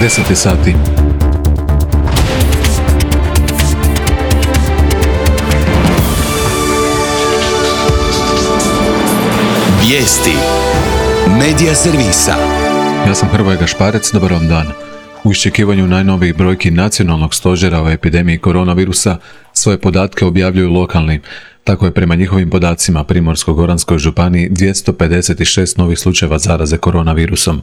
10 sati. Vijesti Medija servisa. Ja sam Hrvoje Gašparec, dobar vam dan. U iščekivanju najnovijih brojki nacionalnog stožera o epidemiji koronavirusa svoje podatke objavljuju lokalni. Tako je prema njihovim podacima Primorsko-goranskoj županiji 256 novih slučajeva zaraze koronavirusom.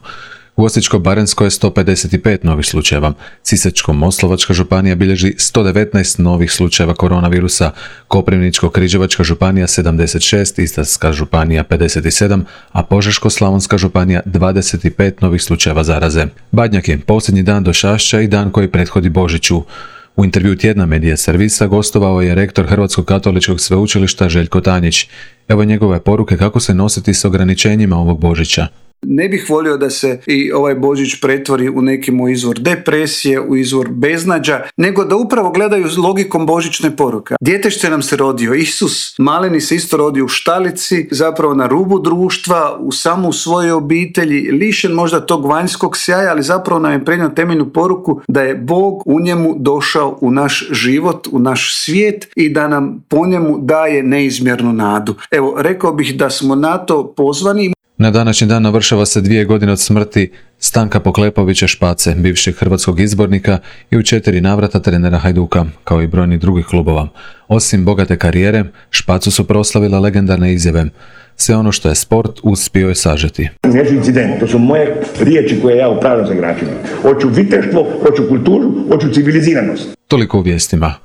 U Osječko-baranjskoj je 155 novih slučajeva, Sisačko-moslavačka županija bilježi 119 novih slučajeva koronavirusa, Koprivničko-križevačka županija 76, Istarska županija 57, a Požeško-slavonska županija 25 novih slučajeva zaraze. Badnjak je posljednji dan došašća i dan koji prethodi Božiću. U intervju tjedna Medija servisa gostovao je rektor Hrvatskog katoličkog sveučilišta Željko Tanjić. Evo njegove poruke kako se nositi s ograničenjima ovog Božića. Ne bih volio da se i ovaj Božić pretvori u nekim izvor depresije, u izvor beznađa, nego da upravo gledaju logikom božićne poruke. Djetešće nam se rodio, Isus maleni se isto rodio u štalici, zapravo na rubu društva, u samu svojoj obitelji, lišen možda tog vanjskog sjaja, ali zapravo nam je prenio temeljnu poruku da je Bog u njemu došao u naš život, u naš svijet i da nam po njemu daje neizmjernu nadu. Evo, rekao bih da smo na to pozvani. Na današnji dan navršava se 2 godine od smrti Stanka Poklepovića Špace, bivšeg hrvatskog izbornika i u 4 navrata trenera Hajduka, kao i brojnih drugih klubova. Osim bogate karijere, Špacu su proslavile legendarne izjave. Sve ono što je sport uspio je sažeti. Neću incident, to su moje riječi koje ja upravljam sa igračima. Hoću viteštvo, hoću kulturu, hoću civiliziranost. Toliko u vijestima.